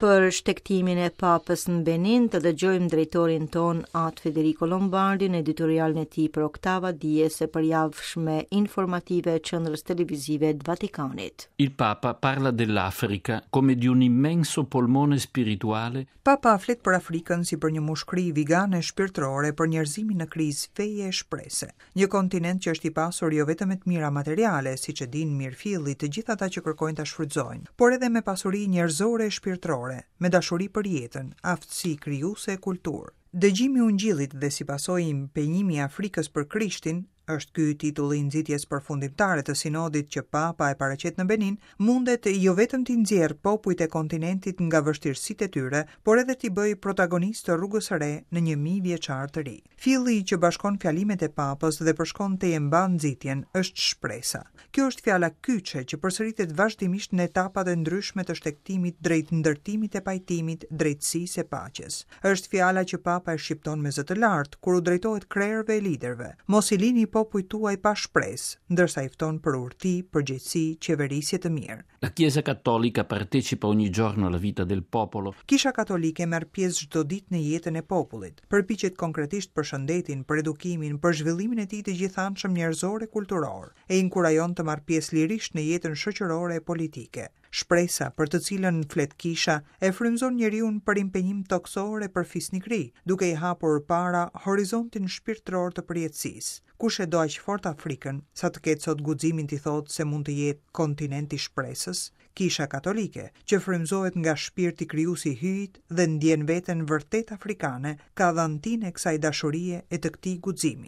Për shtegtimin e Papës në Benin, të dëgjojmë drejtorin tonë At Federico Lombardi në editorialin e tij për Oktava Dies e përjavshme informative e Qendrës Televizive të Vatikanit. Il Papa parla dell'Africa come di un immenso polmone spirituale Papa flet për Afrikën si për një mushkëri vigane shpirtërore për njerëzimin në krizë feje e shprese. Një kontinent që është i pasur jo vetëm me të mira materiale, siç e dinë mirëfilli të gjithë ata që kërkojnë ta shfrytëzojnë, por edhe me pasuri njerëzore e shpirtërore, me dashuri për jetën, aftësi krijuese e kulturë. Dëgjimi i Ungjillit dhe si pasojë impenjimi i Afrikës për Krishtin, është ky titulli i nxitjes përfundimtare të sinodit që Papa e paraqet në Benin, mundet jo vetëm t'i nxjerrë popujt e kontinentit nga vështirësitë e tyre, por edhe t'i bëjë protagonistë të rrugës së re në një mijëvjeçar të ri. Filli që bashkon fjalimet e Papës dhe përshkon tejembanë nxitjen është shpresa. Kjo është fjala kyçe që përsëritet vazhdimisht në etapat e ndryshme të shtegtimit drejt ndërtimit e pajtimit, drejtësisë e paqes. Është fjala që Papa e shqipton me zë të lartë kur u drejtohet krerëve e liderëve, Mos i lini popujt tuaj pa shpresë, ndërsa i fton për urti, përgjegjësi, qeverisje të mirë. La Chiesa Cattolica partecipa ogni giorno alla vita del popolo. Kisha Katolike merr pjesë çdo ditë në jetën e popullit, përpiqet konkretisht për shëndetin, për edukimin, për zhvillimin e tij të gjithanshëm njerëzor e kulturor, e inkurajon të marrë pjesë lirisht në jetën shoqërore e politike. Shpresa, për të cilën flet Kisha, e frymëzon njeriun për impenjim tokësor e për fisnikëri, duke i hapur para horizontin shpirtëror të përjetësisë. Kush e do aq fort Afrikën, sa të ketë sot guximin t'i thotë se mund të jetë kontinent i shpresës? Kisha Katolike, që frymëzohet nga shpirti krijues i Hyjit dhe ndjen veten vërtet afrikane, ka dhantinë e kësaj dashurie e të këtij guximi.